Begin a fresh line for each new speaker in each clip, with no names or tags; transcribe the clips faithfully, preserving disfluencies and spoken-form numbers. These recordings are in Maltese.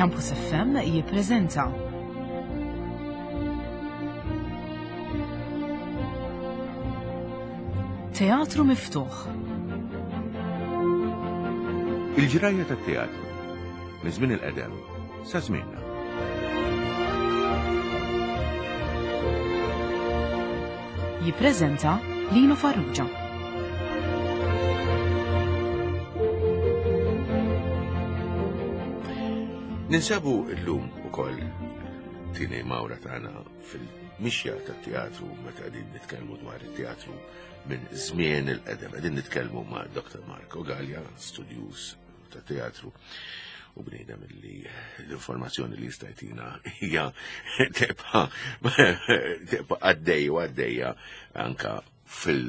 Campus F M jippreżenta Teatru Miftuħ.
Il-ġrajja tat-teatru minn żmien il-qedem sa żmienna.
Jippreżenta Lino Farrugia.
Ninsabu llum ukoll tieni mawra tagħna fil-mixja tat-teatru meta qegħdin nitkellmu dwar it-teatru minn żmien il-qedem. Qegħdin nitkellmu ma' Doctor Marco Gallia, studjuż ta' teatru u bniedem li l-informazzjoni li jista' jtina hija tibqa' tibqa' għaddej u għaddejja anka fil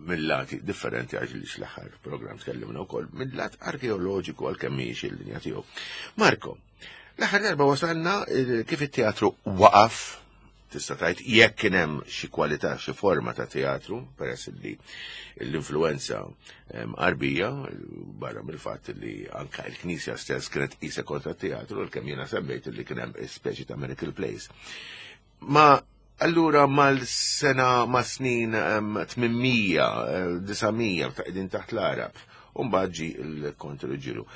mill-lati differenti, għax li l-aħħar program tkellimna wkoll mill-lat arkeoloġiku, għalkemm mhijiex il-linja tiegħu. Marko, l-aħħar darba wasalna eh, kif it-teatru waqaf, tista' tgħid, jekk kien hemm xi kwalità, xi forma ta' teatru, peress li l-influenza Arbija, barra mill-fatt li anka l-Knisja stess kienet qisha kontra teatru, l-kemm jiena semmejt li kien hemm speċi ta' miracle plays. Ma allura mal-sena, ma' snin tmien mija, disa' mija, ta' qegħdin taħt l-Arab, u mbagħad ġie il-Konti Ruġġieru.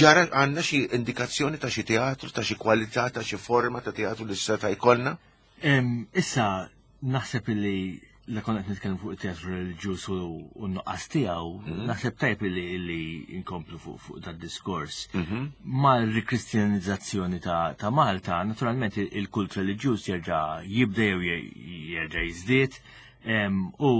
Ġara għandna xi indikazzjoni ta' xi teatru, ta' xi kwalità, ta' xi forma ta' teatru li seta' jkollna?
Issa, naħseb li la konna qed nitkellmu fuq it-teatru reliġjuż u n-nuqqas tiegħu, mhm. naħseb tajb li li inkomplu fuq fuq dat diskors. Mhm. Mal-rikristjanizzazzjoni ta' Malta, naturalment il-kult reliġjuż jerġa' jibda jew jerġa' jiżdied u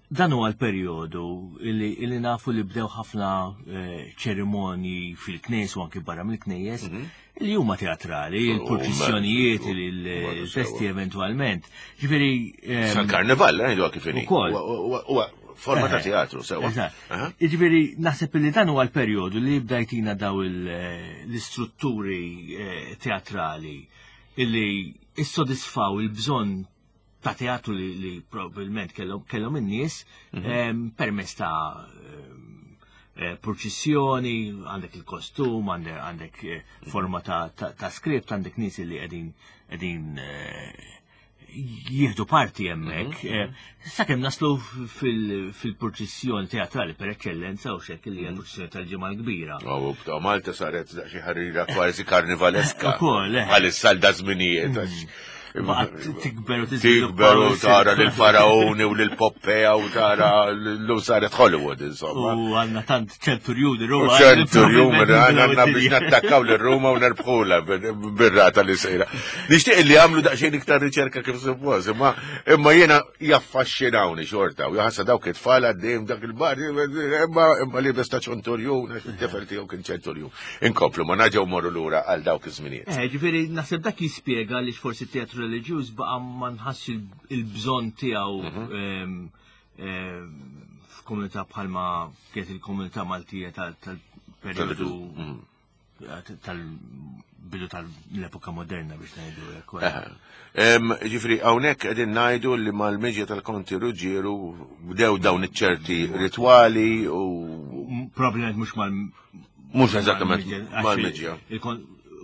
dan huwa l-perjodu li nafu li bdew ħafna eh, ċerimonji fil-knejjes u anki barra mill-knejjes mhm. li huma teatrali, il-purċissjonijiet, il-festi eventualment. Ġifieri.
Sal-karnival, ngħidu kif inhi. Huwa forma ta' teatru, sewa.
Ġifieri naħseb li dan huwa l-perjodu li bdajtina daw l-istrutturi eh, teatrali illi issodisfaw il-bżonn ta' teatru li, li probabilment kellhom in-nies mm -hmm. permezz ta' eh, purċissjoni, għandek il-kostum, għandek eh, forma ta', ta, ta script, għandek nies li qegħdin qegħdin eh, jieħdu parti hemmhekk. Mm -hmm. Sakemm naslu fil-purċissjoni teatrali per eccellenza u xek li hija mhm. purċissjoni tal-Ġimgħa l-Kbira.
Oh, Malta saret xi ħarira kważi karnivaleska. Ukoll, Għalissa l żminijiet. Mhm.
Tikber u
Tikber u tara l-faraoni u l-Poppea u tara l saret Hollywood, insomma.
U għandna tant ċenturjuni Ruma.
Ċenturjuni, għandna biex nattakkaw l-Ruma u nerbħula bir-rata li sejra. Nixtieq li għamlu daqsxejn iktar riċerka kif suppost, imma imma jiena jaffaxxinawni xorta u jaħsa dawk it-tfal għaddejjem dak il-bar, imma imma li ta' ċenturjun, għax it-tifel tiegħu kien ċenturjun. Inkomplu, ma naġgħu morru lura għal dawk iż-żminijiet.
Eh, ġifieri naħseb dak jispjega li forsi teatru reliġjuż baqa' ma nħass il-bżonn tiegħu mhm. ehm, ehm, f'komunità bħalma kienet il-komunità Maltija tal-periodu mhm. tal-bidu tal-epoka moderna, biex ngħidu hekk.
Ġifieri, hawnhekk qegħdin ngħidu li mal-miġja tal-Konti Ruġġieru bdew dawn iċ-ċerti ritwali u.
Probabbilment mhux mal.
Mhux eżattament mal-miġja.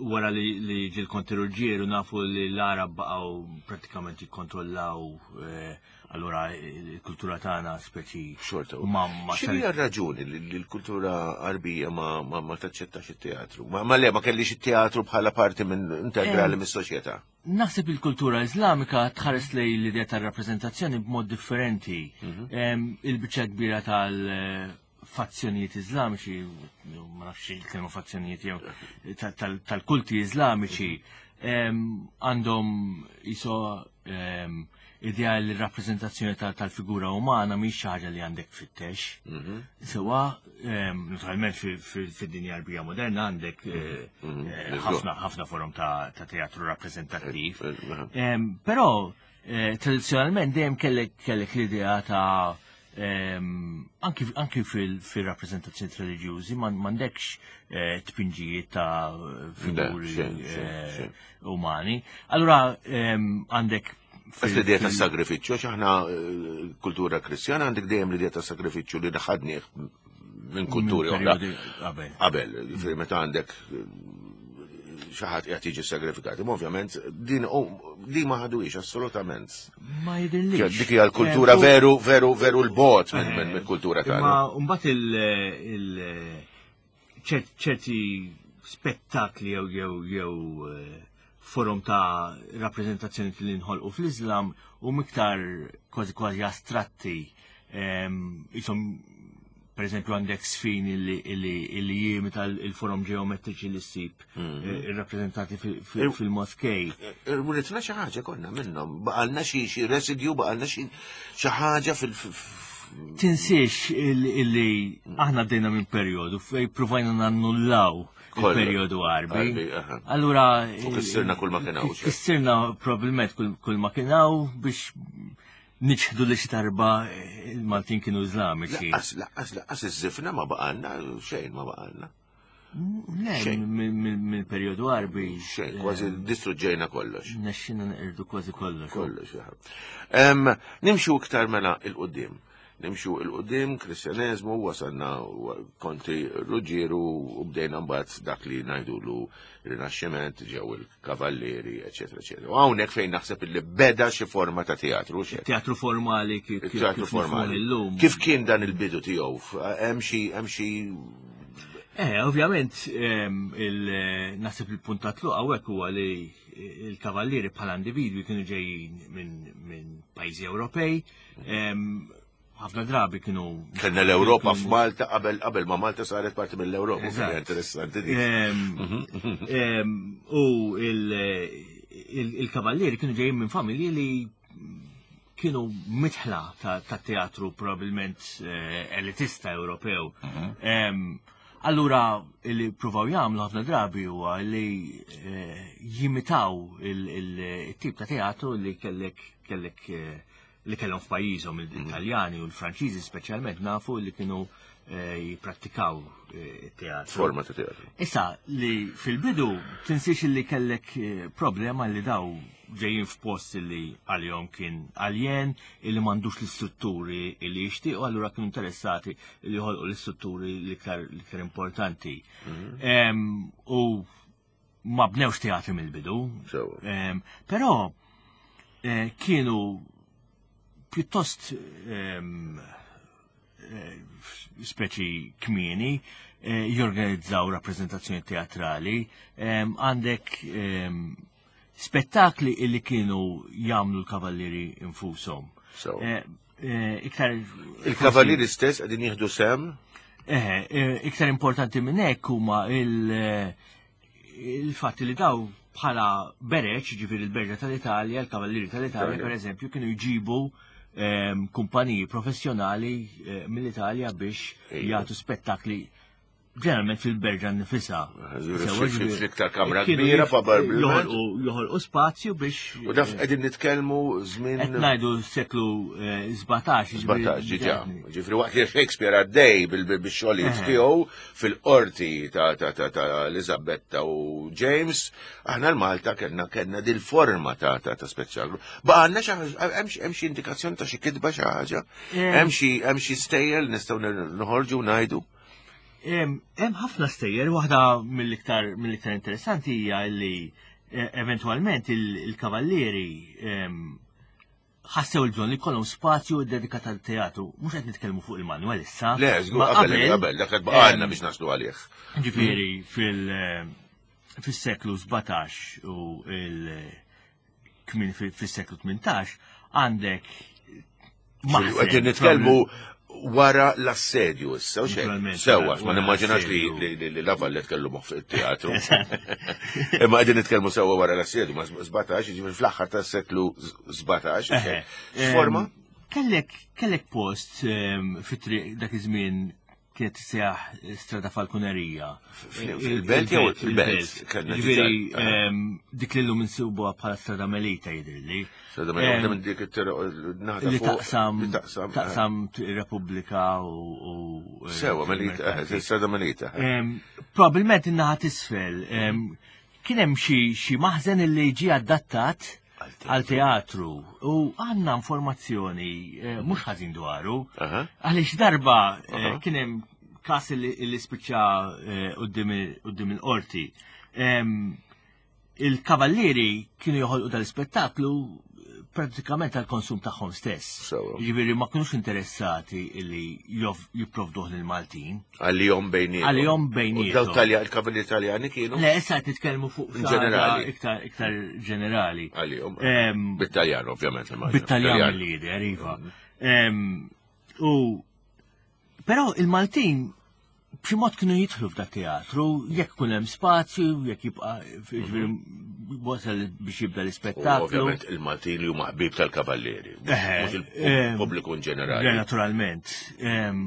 Wara li li ġie l-Konti Ruġġieru, nafu li l-Arab baqgħu pratikament jikkontrollaw, eh, allura il-kultura tagħna speċi
Xorta.
ma ma
X'inhi r-raġuni li li l-kultura Arbija ma, ma, ma taċċettax it-teatru? Ma, ma le, ma kellix it-teatru bħala parti minn integrali mis-soċjetà.
Naħseb il-kultura Islamika tħares lej l-idea tar-rappreżentazzjoni b'mod differenti. Em, Il-biċċa kbira tal-fazzjonijiet Iżlamiċi, ma nafx il-kelma fazzjonijiet jew tal- tal-kulti Iżlamiċi, em, għandhom jiso em, idea li r-rappreżentazzjoni tal- tal-figura umana mhix xi ħaġa li għandek tfittex. Sewa, em, naturalment fid-dinja Arbija moderna għandek eh, eh, ħafna ħafna forom ta' ta' teatru rappreżentattiv. Em, Però eh, tradizzjonalment dejjem kellek kellek l-idea ta' em, anki anki fil-rappreżentazzjoni reliġjużi m'għandekx eh, tpinġijiet ta' figuri
xejn, xejn,
eh,
xejn.
umani. Allura em, għandek
Għax l-idea ta' sagrifiċċju, għax aħna eh, kultura Kristjana, għandek dejjem l-idea ta' sagrifiċċju li ħadnieh minn kulturi oħra.
Periodi qabel.
Qabel, ġifieri meta għandek eh, xi ħadd qiegħed jiġi sagrifikat. Imma ovvjament din di ma ħaduhiex assolutament.
Ma jidhirlix.
Dik hija l-kultura
Eh, u-
veru, veru, veru l-bot minn minn kultura tagħna.
Imma mbagħad il il ċert- ċerti spettakli jew jew jew eh, forom ta' rappreżentazzjoni li nħolqu fl-Islam u miktar kważi kważi astratti em, isom per eżempju għandek sfin illi, illi, illi jimita il-forom ġeometriċi li ssib eh, irrappreżentati fi- fi- fil-moskej.
Ritna xi ħaġa konna minnhom, baqalna xi xi residju, baqalna xi xi ħaġa fil
Tinsiex il- illi aħna għaddejna minn periodu fej provajna nannullaw
Kollu.
il-periodu Għarbi.
Għarbi, aha.
Allura.
U kissirna kull ma kien hawn, xejn.
Kissirna probabbilment kull, kull ma kien hawn biex niċħdu li xi darba il-Maltin kienu Iżlamiċi.
Laqqas, laqqas, laqqas iż-żifna ma baqalna, xejn ma baqalna.
Le,
xejn.
mill-periodu Għarbi.
Xejn, kważi distruġġejna kollox.
Nexxina neqirdu kważi kollox.
Kollox, aha. Em, Nimxu iktar mela il-qoddim. Nimxu il-qoddim, kristjaneżmu, wasalna wa- Konti Ruġġieru u bdejna mbagħad dak li ngħidulu Rinaxximent, ġew il-Kavallieri, eċetera, eċetera. U hawnhekk fejn naħseb illi beda xi forma ta' teatru, xejn.
Teatru formali kif kif
Il-teatru
kif nifhmu
formali.
illum.
Kif kien dan il-bidu tiegħu? Hemm xi hemm xi
Eh, ovvjament, ehm, il- naħseb il-punt ta' tluq hawnhekk huwa li il-kavallieri bħala individwi kienu ġejjin minn min pajjiżi Ewropej, ehm, ħafna drabi kienu.
Kellna l-Ewropa
kienu-
f'Malta qabel qabel ma Malta saret parti mill-Ewropa.
Eżatt.
Kien interessanti dik.
Ehm, ehm, U il- il- il-kavallieri kienu ġejjin minn familji li kienu mitħla ta' ta' teatru probabbilment eh, elitista Ewropew. Ehm, Allura, li provaw jagħmlu ħafna drabi huwa li eh, jimitaw il-tip ta' teatru li kellek kellek eh, li kellhom f'pajjiżhom il-Italjani u l-Franċiżi speċjalment nafu li kienu eh, jipprattikaw eh, it-teatru.
Forma ta' teatru.
Issa, li fil-bidu tinsiex li kellek eh, problema li daw ġejjin f'post li għalihom kien aljen, illi m'għandux l-istrutturi li jixtiequ, allura kienu interessati li joħolqu l-istrutturi l-iktar l-iktar importanti. Em, U ma bnewx teatri mill-bidu.
Sewa.
Em, Però eh, kienu pjuttost em, eh, speċi kmieni eh, jorganizzaw rappresentazzjoni teatrali, em, għandek em, spettakli illi kienu jagħmlu l-kavallieri infushom.
Sewa.
Eh, eh, Iktar
Il-kavallieri stess qegħdin jieħdu sem
Eh, eh, iktar importanti minn hekk huma il- eh, il-fatt li daw bħala bereċ, ġifieri il-berġa tal-Italja, il-kavallieri tal-Italja,
Italja.
per eżempju, kienu jġibu ehm, kumpaniji professjonali eh, mill-Italja biex
Ejja.
jagħtu spettakli ġeneralment fil-berġa nifisha.
Ġifieri
Sewa,
fl-iktar kamra
kienu
kbira,
jif-
probabbilment.
Joħolqu joħolqu spazju biex.
U daf qegħdin nitkellmu żmien
Qed ngħidu s-seklu eh, sbatax. ġifieri-
sbatax ġiġa. Ġifri waqt li Shakespeare għaddej bil- bil- bix-xogħlijiet tiegħu fil-qorti ta' ta' ta' ta' Elizabetta u James, aħna l-Malta kellna kellna dil-forma ta' ta' ta' speċjallu. Baqgħalna xi ħaġa- hemm xi- hemm xi indikazzjoni ta' xi kitba xi ħaġa?
Em.
Hemm xi hemm xi stejjer nistgħu noħorġu u ngħidu?
Hemm hemm ħafna stejjer, waħda mill-iktar mill-iktar interessanti hija li eh, eventwalment il- il-kavallieri em, ħassew il-bżonn li jkollhom spazju dedikat għal teatru. Mhux qed nitkellmu fuq il-Manuel issa.
Le, żgur
ma
qabel qabel dak qed baqgħalna
em,
biex naslu għalih.
Ġifieri fil- eh, fis-seklu sbatax u il kmin fis-seklu tmintax għandek maħzen,
Qegħdin nitkellmu wara l-assedju issa, u xejn.
Naturalment,
Sewwa,
wara
ma nimmaġinax li
l-assedju.
li- li li La Valette kellu moħħ fit-teatru. Imma qegħdin nitkellmu sewwa wara l-assedju, ma sbatax, jiġifieri fl-aħħar tas-seklu sbatax, u xejn.
Eħe.
X'forma?
Em, Kellek, kellek post em, fit-triq dak iż-żmien kienet tissejjaħ Strada Falconeria.
Fil-belt jew fil-belt? Kellna
Ġifieri
diġà, aha.
em, dik li llum insibuha bħala Strada Melita jidhirli.
Strada Melita,
Em,
minn dik it-triq naħa
Li
fuq,
taqsam
li taqsam.
taqsam Repubblika u u, eh,
Sewwa, Melita,
Merkanti.
eh, Strada Melita.
Em, Probabilment in-naħa t'isfel. em, Kien hemm xi xi maħżen li ġie adattat għal teatru u għandna informazzjoni eh, mhux ħażin dwaru.
Aha.
Għaliex darba eh,
Aha.
kien hemm każ li li spiċċa eh, quddiem il- quddiem il-qorti. Em, Il-kavallieri kienu joħolqu dal-ispettaklu pratikament għal-konsum tagħhom stess.
Sewwa.
Jiġifieri ma kinux interessati li jof- jipprovduh lill-Maltin.
Għalihom bejniethom.
Għalihom
U
bejniethom.
daw Talja, il-kavallieri Taljani kienu?
Le, issa qed nitkellmu fuq
In
xi ħaġa
ġenerali.
iktar iktar ġenerali.
Għalihom.
Em,
Bit-Taljan, ovvjament. immaġina.
Bit-Taljan mill-lider, iva. Em, U però il-Maltin b'xi mod kienu jidħlu f'da teatru, jekk kun hemm spazju, jekk jibqa' jiġifieri wasal biex jibda
U
l-ispettaklu.
Ovvjament il-Maltin li huma ħbieb tal-kavallieri.
Eħe,
Mhux
em,
il-pubbliku in ġenerali.
Le, naturalment. Em,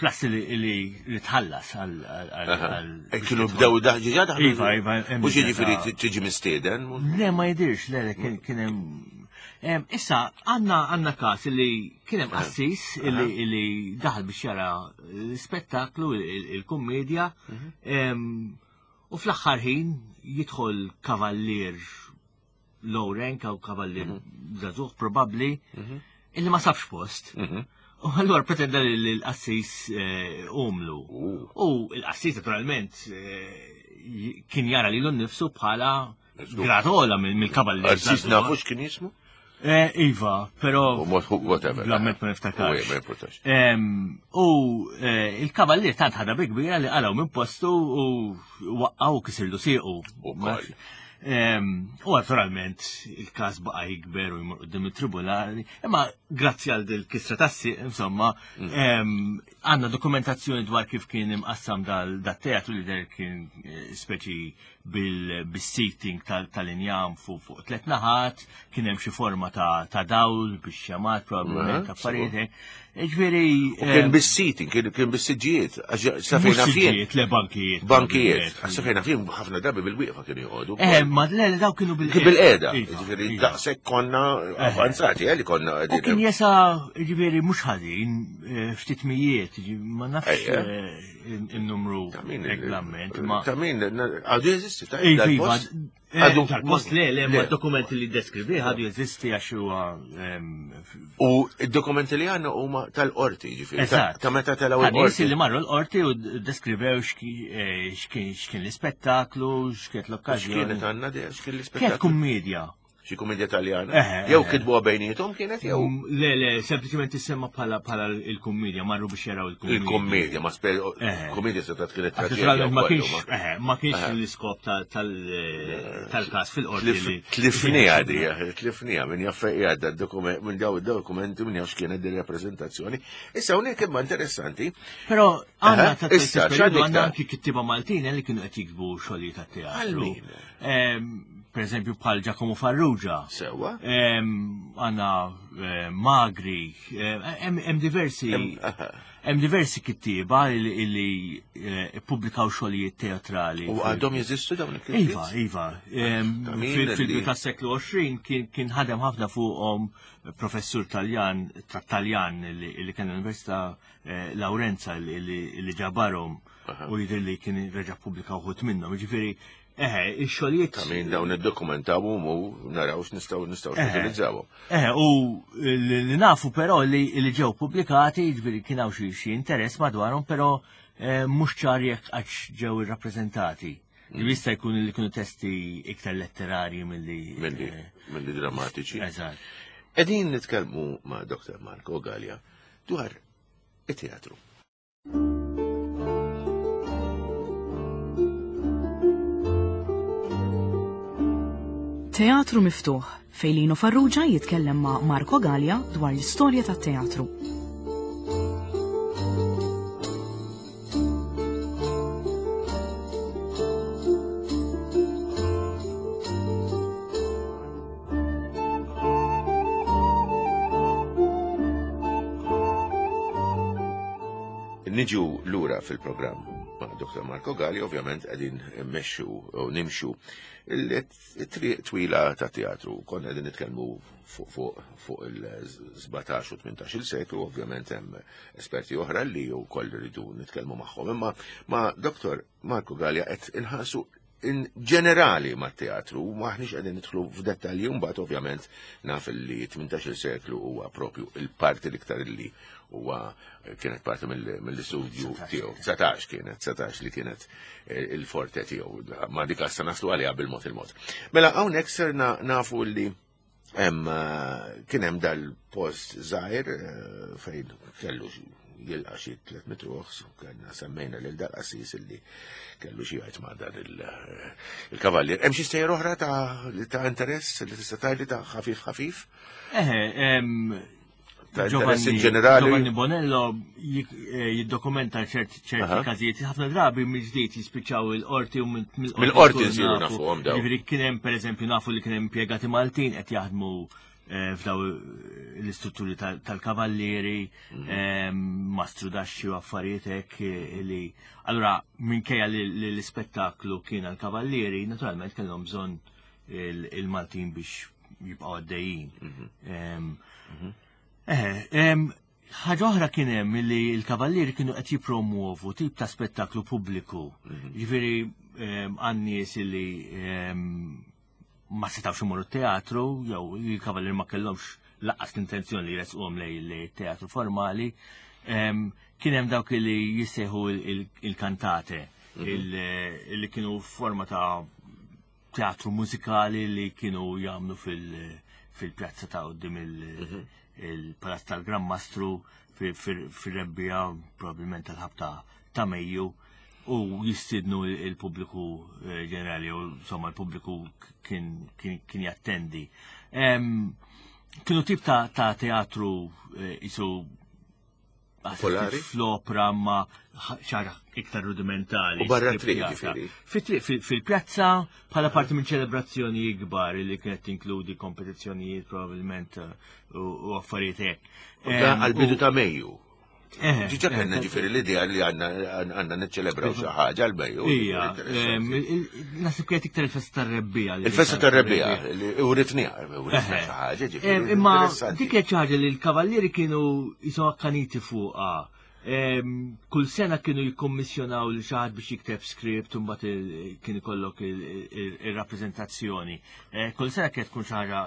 Plus li li li tħallas għal għal- għal.
Eh, Kienu bdew daħġi daħlu.
Iva, iva, hemm
Mhux jiġifieri
ta'
tiġi mistieden.
Le, ma jidirx, le, le, kien kien hemm. Em, Issa, għanna għanna kas li kien hemm qassis illi illi daħal biex jara l-spettaklu, il- il-kummedja, em, u fl-aħħar ħin jidħol kavallier low rank jew kavallier żagħżugħ probabbli illi ma sabx post. U allura pretenda li l-qassis eh, umlu. U l-qassis naturalment eh, j- kien jara lilu nnifsu bħala gratola mill- mill-kavallier.
Arsis
żagħżugħ.
nafu x'kien jismu?
Eh, Iva, però
U mod whatever.
Blamment ma niftakarx.
U, Ma importax.
Em, U eh, il-kavallier tant ħadha bi kbira li qalgħu minn postu u waqqaw kisirlu siequ.
U koll.
Em, U naturalment il-każ baqa' jikber u jmur quddiem it-tribunali, imma grazzi għal dil kisra tas-sieq, insomma,
Mm.
em, għandna dokumentazzjoni dwar kif kien imqassam dal dat-teatru li der kien eh, speċi bil-seating tal-injam fuq fuq tliet naħat, kien hemm xi forma ta' ta' dawl biex xamat probabbilment
Aha,
affarijiet. hekk. Ġifieri
U kien
em,
bis-seating, kien kien bis-siġġijiet. Għax sa
mhux
fejna fien.
siġġijiet, le bankijiet.
Bankijiet. Għax sa fejna fien ħafna drabi bil-wieqfa kienu joqogħdu.
Eh, ma le, le, daw kienu bil
Kien bil-qeda.
Iva,
Ġifieri
iva.
daqshekk konna avanzati, eh, li konna
U kien jesa, ġifieri, mhux ħażin, eh, ftit mijiet, ġi- ma nafx
Ejja.
eh, il-numru
Ta' min
reglament, ma.
Ta' min għadu jeżisti, ta'
Iva, iva,
dal-post?
eh,
Għadu-
dal-post le, le, ma
Le.
dokumenti li deskrivi għadu jeżisti għax huwa em, f-
U id-dokumenti li għandna huma tal-qorti, ġifieri. ta-
Eżatt.
Ta' meta telaw
Ta' nies
il-qorti.
li marru l-qorti u deskrivew xki- eh, x'kien x'kien l-ispettaklu, x'kienet l-okkażjoni.
X'kienet għandna di, x'kien
Kienet
l-ispettaklu?
kummedja.
Xi kumedja Taljana?
Eħe,
Jew
eħe.
kitbuha bejniethom kienet jew
Mm, Le, le, sempliċement tissemma bħala bħala il-kummedja, marru biex jaraw il-kummedja.
il-kommedja, ma spe
Eħe.
kommedja se kienet
Għax
traġedja.
Naturalment ma
wkoll,
kienx,
ma-
eħe, ma kienx l-iskop ta- tal- tal-każ fil-qorti li.
Tlifnija di, tlifnija minn jaffe għadda dokument, minn daw id-dokumenti minn jafx kienet di rappresentazzjoni. Issa hawnhekk imma interessanti,
Però għandna
Eħe,
ta'
issa,
periodu
x'għandek
għandna
ta'
anki kittiba Maltin eh, li kienu qed jiktbu xogħlijiet
Għal
tat-teatru.
min?
Em, Per eżempju bħal Giacomo Farrugia.
Sewwa.
Em, Għandna eh, Magri, eh, hemm hemm diversi
Hemm- aha.
hemm diversi kittieba li li, eh, ippubblikaw xogħlijiet teatrali.
U
fil-
għadhom jeżistu dawn il-kitbiet?
Iva, iva. Em,
Ta' min
fil-
li-
Fil-bidu tas-seklu għoxrin kien kien ħadem ħafna fuqhom professur Taljan, ta' Taljan li li kien l-Università eh, Lawrenza li- li li ġabarhom u jidher li kien reġa' pubblika wħud minnhom. Jiġifieri, eħe, ix-xogħlijiet
Ta' min dawn id-dokumentaw u naraw x'nistgħu nistgħu
Eħe.
nutilizzawhom.
Eħe, u li li nafu però li li ġew pubblikati, jiġifieri kien hawn xi xi interess madwarhom, però eh, mhux ċar jekk għax ġew irrappreżentati.
Mm.
Jista' jkun li kienu testi iktar letterarji milli
Milli
eh,
milli drammatiċi.
Eżatt.
Qegħdin nitkellmu ma' Dr. Marco Gallia dwar it-teatru.
Teatru Miftuħ fejn Lino Farrugia jitkellem ma' Marco Gallia dwar l-istorja tat-teatru.
Niġu lura fil-programm ma' Dr. Marco Galli, ovvjament qegħdin mmexxu u nimxu il-triq twila ta' teatru. Konna qegħdin nitkellmu fuq fuq fuq il-sbatax u tmintax il seklu, ovvjament hemm esperti oħra li wkoll rridu nitkellmu magħhom. Imma ma' Dr. Marco Gallia qed inħarsu in ġenerali mat-teatru, maħniex qegħdin nidħlu f'dettalji, mbagħad ovvjament naf li tmintax-il seklu huwa propju il-parti l-iktar li huwa kienet parti mill-istudju tiegħu. dsatax kienet, dsatax li kienet il-forte tiegħu. Ma dik issa naslu għaliha bil-mod il-mod. Mela hawnhekk serna nafu li hemm kien hemm dal-post żgħir fejn kellu jilqa' xi tliet mitt ruħ, kellna semmejna lil dal-qassis illi kellu xi jgħid ma' dan il-kavallier. Hemm xi stejjer oħra ta' interess li tista' tgħidli ta' ħafif ħafif?
Eħe,
ta' interess in ġenerali.
Giovanni Bonello jiddokumenta ċerti każijiet, ħafna drabi mill-ġdid jispiċċaw il-qorti u
mill-qorti nsiru nafuhom dawn.
Jiġifieri kien hemm pereżempju nafu li kien hemm impjegati Maltin qed jaħdmu f'daw l-istrutturi tal-kavallieri, mastru daxxi u affarijiet hekk li. Allura minkejja li l-ispettaklu kien għall-kavallieri, naturalment kellhom bżonn il-Maltin biex jibqgħu għaddejjin. Ħaġa oħra kien hemm li l-kavallieri kienu qed jippromuovu tip ta' spettaklu pubbliku. Jiġifieri għan-nies li ma setawx imorru teatru, jew il-kavallieri ma kellhomx lanqas l-intenzjoni li jresquhom lej teatru formali. Kien hemm dawk li jissejħu il-kantate, li kienu forma ta' teatru mużikali li kienu jagħmlu fil-pjazza ta' quddiem il-Palazz tal-Gran Mastru fir-rebbija, probabbilment tal-ħabta ta' Mejju, u jistidnu il-pubbliku ġenerali, u insomma l-pubbliku kien jattendi. Kienu tip ta' teatru isu
Popolari?
Fl-opra ma xara iktar rudimentali.
U barra triq, ġifieri?
Fil-pjazza bħala parti minn ċelebrazzjoni ikbar li kienet tinkludi kompetizzjonijiet probabbilment u affarijiet hekk.
Għal-bidu ta' Mejju. Ġiġa kellna ġifieri l-idea li għandna niċċelebraw xi ħaġa għal-Mejju.
Ija, naħseb kienet iktar il-festa tar-rebbija.
Il-festa tar-rebbija, u ritniha, u ritniha xi ħaġa, ġifieri.
Imma dik kienet xi ħaġa li l-kavallieri kienu jisom akkaniti fuqha. Kull sena kienu jikkommissjonaw li xi ħadd biex jikteb script u mbagħad kien ikollok ir-rappreżentazzjoni. Kull sena kienet tkun xi ħaġa,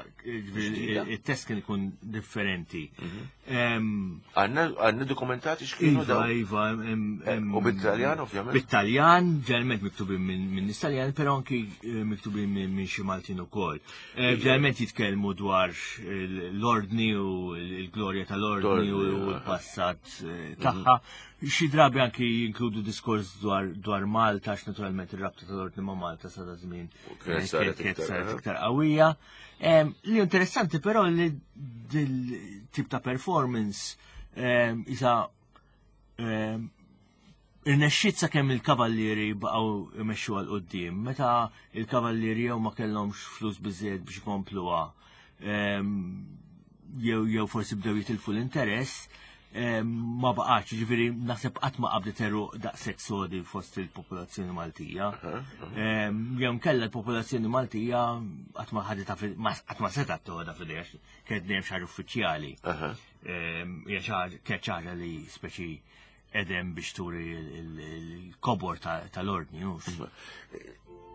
it-test kien ikun differenti.
Għandna dokumentati x'kienu dawn?
Iva, iva.
U bit-Taljan ovvjament?
Bit-Taljan, ġeneralment miktubin minn nies Taljan, però anki miktubin minn xi Maltin ukoll. Ġeneralment jitkellmu dwar l-ordni u l-glorja tal-ordni u l-passat tagħha. Xi drabi anki jinkludu diskors dwar Malta, għax naturalment ir-rabta tal-ordni ma' Malta sa da żmien
kienet saret
iktar qawwija. Li interessanti però li dil tip ta' performance isa irnexxiet sakemm il-kavallieri baqgħu imexxu għal quddiem. Meta il-kavallieri jew ma kellhomx flus biżejjed biex ikompluha, jew jew forsi bdew jitilfu l-interess, ma baqax, ġifieri naħseb qatt ma qabdet eruq daqshekk sodi fost il-popolazzjoni Maltija. Jew nkella l-popolazzjoni Maltija qatt ma ħadet qatt ma setgħet toħodha f'idejha kienet dejjem xi ħaġa uffiċjali. Hija kienet xi ħaġa li speċi edem biex turi il-kobor tal-ordni.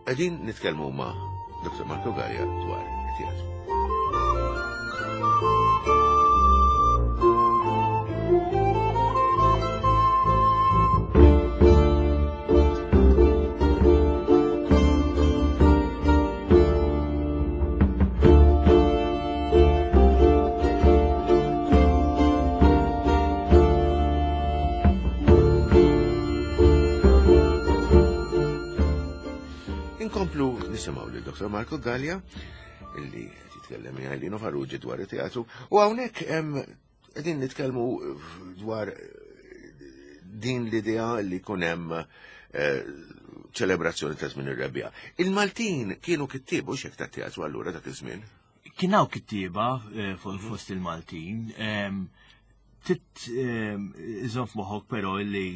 Qegħdin nitkellmu ma' Doktor Marco Galea dwar it-teatru. Inkomplu nisimgħu lil Doktor Marco Galea illi qed jitkellem miegħi Lino Farrugia dwar it-teatru, u hawnhekk hemm qegħdin nitkellmu dwar din l-idea li jkun hemm ċelebrazzjoni ta' żmien ir-rebbija. Il-Maltin kienu kittieba u x'hekk tat-teatru allura dak iż-żmien?
Kien hawn kittieba fost il-Maltin. Tit iżomm f'moħħok però li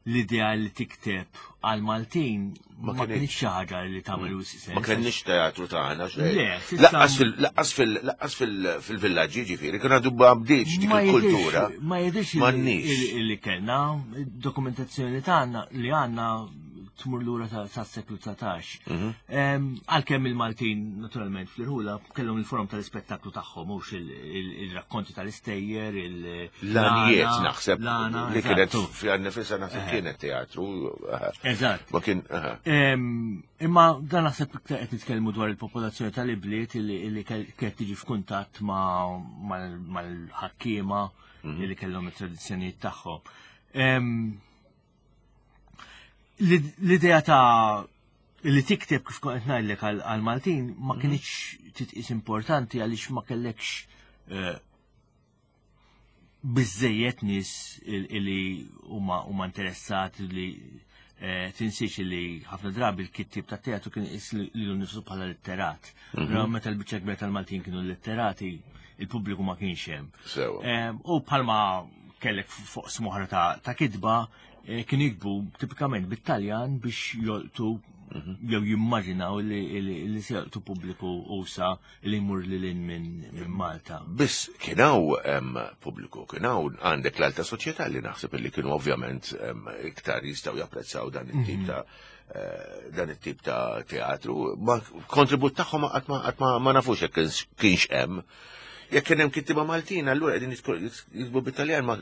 l-idea li tikteb għal-Maltin ma kienx xi ħaġa li tagħmel sens.
Ma kenniex teatru tagħna xejn.
Le,
Laqqas laqqas fil-villaġġi ġifieri, kien għadu ma bdietx dik il-kultura.
Ma jidhirx li kellna dokumentazzjoni tagħna li għandna tmur lura sas-seklu dsatax. Għalkemm il-Maltin, naturalment, fl-irħula kellhom il-forom tal-ispettaklu tagħhom, mhux il-rakkonti tal-istejjer, il-
L-għanjiet naħseb li kienet fiha nnifisha naħseb kienet teatru.
Eżatt.
Ma kien.
Imma dan naħseb qed nitkellmu dwar il-popolazzjoni tal-ibliet li kienet tiġi f'kuntatt mal-ħakkiema li kellhom it-tradizzjonijiet tagħhom. L-idea ta' li tikteb, kif kont ngħidlek, għal-Maltin ma kienx titqis importanti għaliex ma kellekx biżejjed nies li huma huma interessati. Li tinsiex li ħafna drabi l-kittib ta' teatru kien iqis lilu nnifsu bħala litterat. Meta l-biċċa kbira tal-Maltin kienu litterati, il-pubbliku ma kienx hemm. U bħalma kellek fuq smoħra ta' kitba, kien jiktbu tipikament bit-Taljan biex jolqtu jew jimmaġinaw li se jolqtu pubbliku usa' li jmur lil hinn minn Malta.
Biss kien hawn pubbliku, kien hawn għandek l-alta soċjetà li naħseb li kienu ovvjament iktar jistgħu japprezzaw dan it-tip ta' dan it-tip ta' teatru. Ma kontribut tagħhom qatt ma nafux jekk kienx hemm. Jekk kien hemm kittiba Maltin, allura qegħdin jiktbu bit-Taljan, ma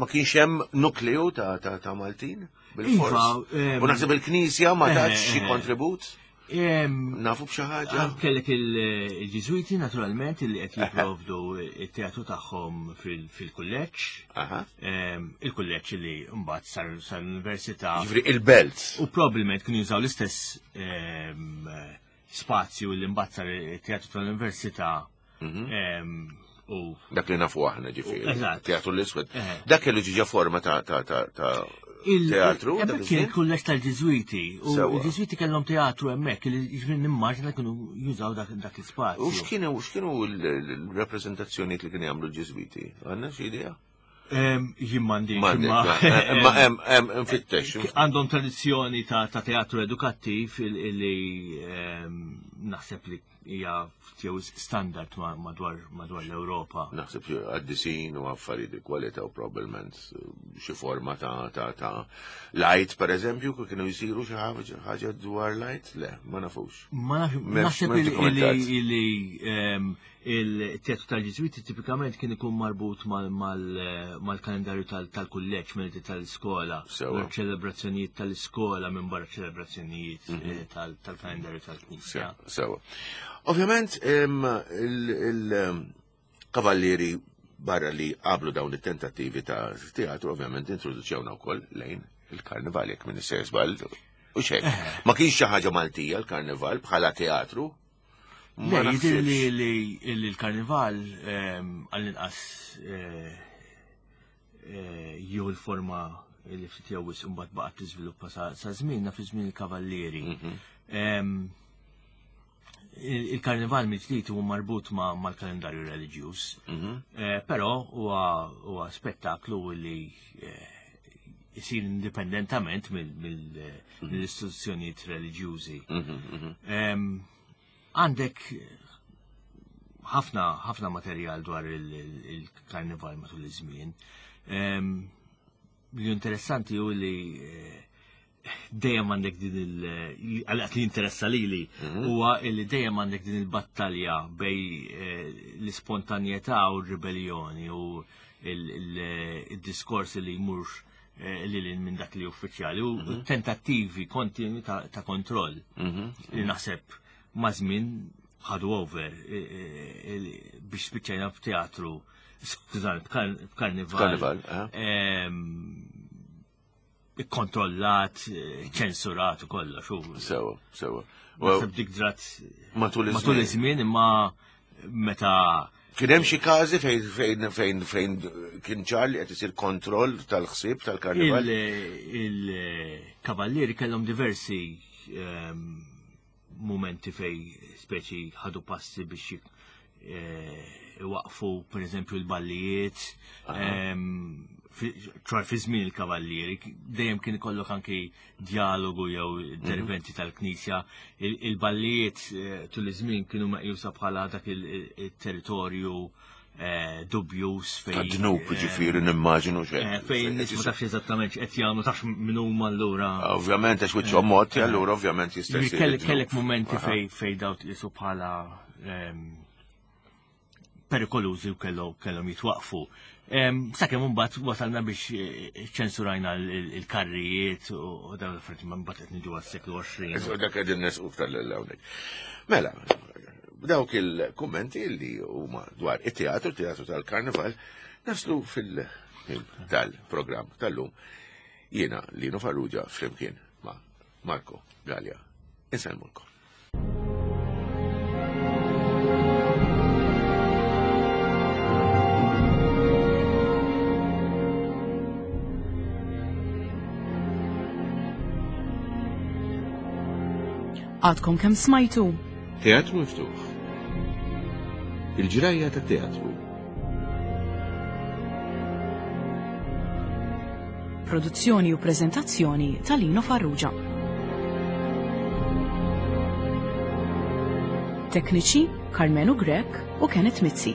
kienx hemm nukleu ta' ta' Maltin bil-fors. U naħseb il-Knisja ma tatx xi kontribut? Nafu b'xi ħaġa?
Kellek il-Ġiżwiti, naturalment, li qed jipprovdu it-teatru tagħhom fil-kulleġġ. Il-kulleġġ li mbagħad sar l-università.
Ġifieri il-belt.
U probabbilment kienu jużaw l-istess spazju li mbagħad sar it-teatru tal-università. U
dak li nafu aħna, ġifieri.
Eżatt.
Teatru l-Iswed. Dak kellu ġiġa forma ta' ta' ta' ta' teatru.
Hemmhekk kien il-kulleġġ tal-Ġiżwiti. U l-Ġiżwiti kellhom teatru hemmhekk, li ġifieri nimmaġina kienu jużaw dak l-ispazju.
U x'kienu x'kienu l-rappreżentazzjonijiet li kienu jagħmlu l-Ġiżwiti? Għandna xi idea?
Jien m'għandix.
Imma hemm hemm nfittex.
Għandhom tradizzjoni ta' teatru edukattiv li naħseb li hija jew standard madwar madwar l-Ewropa.
Naħseb qaddisin u affarijiet di kwalità u probabbilment xi forma ta' ta' ta' light, per eżempju, kienu jsiru xi ħaġa dwar light? Le, ma nafux.
Ma naħseb li il-teatru tal-Ġiżwiti tipikament kien ikun marbut mal-kalendarju tal-kulleġġ, mill tal-iskola, ċelebrazzjonijiet tal-iskola minn barra ċelebrazzjonijiet tal-kalendarju tal-Knisja.
Sewa. Ovvjament, il-kavallieri, barra li qablu dawn it-tentattivi ta' teatru, ovvjament introduċewna wkoll lejn il-karnival, jekk minn żball. U xek, ma kienx xi ħaġa Maltija l-karnival bħala teatru?
Le, jidher li l-karnival għall-inqas jew il-forma li ftit jew wisq imbagħad baqgħet tiżviluppa sa żmienna fi żmien il-kavallieri. Il-karnival mill-ġdid huwa marbut mal-kalendarju reliġjuż, però huwa spettaklu li jsir indipendentament mill-istituzzjonijiet reliġjużi. Għandek ħafna ħafna materjal dwar il-karnival matul iż-żmien. Li interessanti hu li dejjem għandek din il għalqat li interessa lili huwa li dejjem għandek din il-battalja bejn l-ispontanjetà u r-ribellioni u il-diskors li jmur li minn dak li uffiċjali u tentattivi kontinwi ta' kontroll li naħseb ma' żmien ħadu over biex spiċċajna f'teatru, skużani, b'karnival.
Karnival,
Kontrollat, ċensurat u kollox.
Sewa, sewa.
Naħseb dik drat
matul
iż-żmien, imma meta
Kien hemm xi każi fejn fejn fejn fejn kien ċar li qed isir kontroll tal-ħsieb tal-karnival?
Il-kavallieri kellhom diversi momenti fej speċi ħadu passi biex waqfu, per eżempju, l-ballijiet, ċar fi żmien il-kavallieri, dejjem kien ikollok anki dialogu jew interventi tal-Knisja. Il-ballijiet tul iż-żmien kienu meqjusa bħala dak il-territorju eh, dubjus
fejn. Ta' dnub ġifieri nimmaġinu
xejn. Eh, fejn nies ma tafx eżattament x'qed jagħmlu, tafx min huma allura.
Ovvjament għax wiċċhom mod, allura ovvjament jista'
jsir. Kellek momenti fejn fejn daw tqisu bħala ehm, perikolużi u kellhom jitwaqfu. Sakemm imbagħad wasalna biex eh, ċensurajna il-karrijiet u dawn l-affarijiet ma mbagħad qed niġu għas-seklu għoxrin.
Dak qegħdin nesqu iktar lil hawnhekk. Mela, dawk il-kummenti li huma dwar it-teatru, teatru tal-karnival, naslu fil-ħin tal-programm tal-lum. Jiena Lino Farrugia flimkien ma' Marco Galea. Insellmulkom.
Għadkom kemm smajtu?
Teatru Miftuħ. Il-ġrajja ta' teatru.
Produzzjoni u prezentazzjoni ta' Lino Farrugia. Tekniċi Carmenu Grech u Kenneth Mizzi.